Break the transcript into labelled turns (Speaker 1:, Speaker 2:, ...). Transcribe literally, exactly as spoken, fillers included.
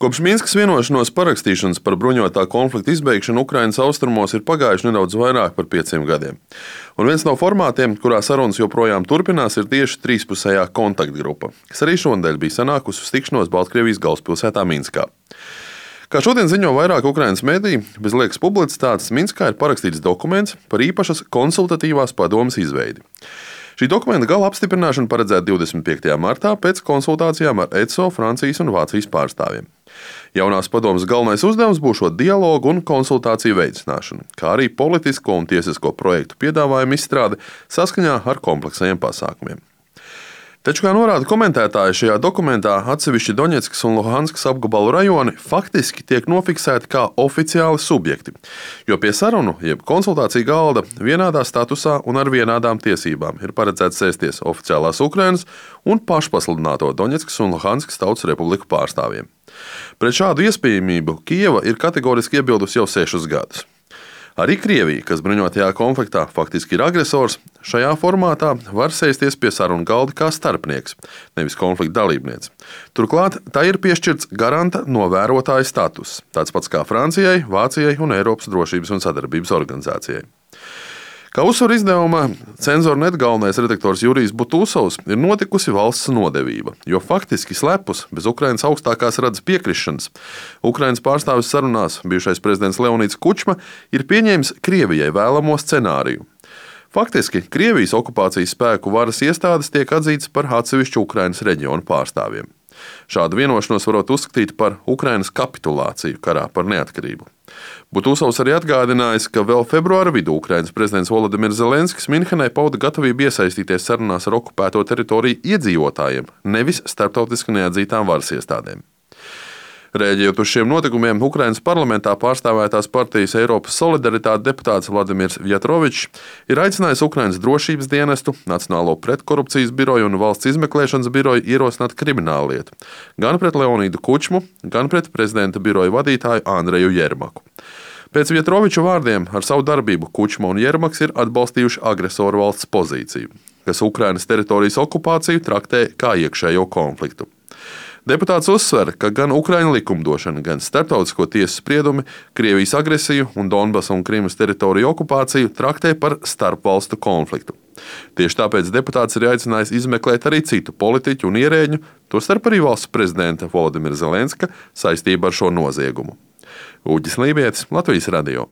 Speaker 1: Kopš Minskas vienošanos parakstīšanas par bruņotā konflikta izbeigšanu Ukrainas austrumos ir pagājuši nedaudz vairāk par pieciem gadiem. Un viens no formātiem, kurā sarunas joprojām turpinās, ir tieši trīspusējā kontaktgrupa, kas arī šonadēļ bija sanākusi uz tikšanos Baltkrievijas galvaspilsētā Minskā. Kā šodien ziņo vairāk Ukrainas mediji, bez liekas publicitātes Minskā ir parakstīts dokuments par īpašas konsultatīvās padomes izveidi. Šī dokumenta gala apstiprināšana paredzēta divdesmit piektajā martā pēc konsultācijām ar E C O, Francijas un Vācijas pārstāvjiem. Jaunās padomes galvenais uzdevums būs šo dialogu un konsultāciju veicināšana, kā arī politisko un tiesisko projektu piedāvājumu izstrāde saskaņā ar kompleksajiem pasākumiem. Taču, kā norāda komentētāji, šajā dokumentā atsevišķi Doņetskas un Luhanskas apgabalu rajoni faktiski tiek nofiksēti kā oficiāli subjekti, jo pie sarunu, jeb konsultāciju galda vienādā statusā un ar vienādām tiesībām ir paredzēts sēsties oficiālās Ukrainas un pašpasludināto Doņetskas un Luhanskas Tautas Republiku pārstāvjiem. Pret šādu iespējamību Kijeva ir kategoriski iebildusi jau sešus gadus. Arī Krievija, kas bruņotajā konfliktā faktiski ir agresors, šajā formātā var sēsties pie sarunu galda kā starpnieks, nevis konflikta dalībniece. Turklāt tā ir piešķirts garanta novērotāja status, tāds pats kā Francijai, Vācijai un Eiropas drošības un sadarbības organizācijai. Kā uzsver izdevuma Cenzor.net galvenais redaktors Jurijs Butūsovs, ir notikusi valsts nodevība, jo faktiski slepus, bez Ukrainas augstākās radas piekrišanas, Ukrainas pārstāvis sarunās bijušais prezidents Leonids Kučma ir pieņēmis Krievijai vēlamo scenāriju. Faktiski Krievijas okupācijas spēku varas iestādes tiek atzītas par atsevišķu Ukrainas reģionu pārstāvjiem. Šādu vienošanos varot uzskatīt par Ukrainas kapitulāciju karā par neatkarību. Butūsovs arī atgādinājis, ka vēl februāra vidū Ukrainas prezidents Volodimirs Zelenskis Minhenē pauda gatavību iesaistīties sarunās ar okupēto teritoriju iedzīvotājiem, nevis starptautiski neatzītām varas iestādēm. Rēģējot uz šiem notikumiem, Ukrainas parlamentā pārstāvētās partijas Eiropas solidaritāte deputāts Vladimirs Vjatrovičs ir aicinājis Ukrainas drošības dienestu, Nacionālo pretkorupcijas biroju un valsts izmeklēšanas biroju ierosināt krimināllietu gan pret Leonidu Kučmu, gan pret prezidenta biroja vadītāju Andreju Jermaku. Pēc Vjatroviča vārdiem ar savu darbību Kučma un Jermaks ir atbalstījuši agresoru valsts pozīciju, kas Ukrainas teritorijas okupāciju traktē kā iekšējo konfliktu. Deputāts uzsver, ka gan Ukraiņu likumdošana, gan starptautisko tiesu spriedumi Krievijas agresiju un Donbasa un Krimas teritoriju okupāciju traktē par starpvalstu konfliktu. Tieši tāpēc deputāts ir aicinājis izmeklēt arī citu politiķu un ierēģu, tostarp arī valsts prezidenta Volodimira Zelenska saistību ar šo noziegumu. Uģis Lībietis, Latvijas radio.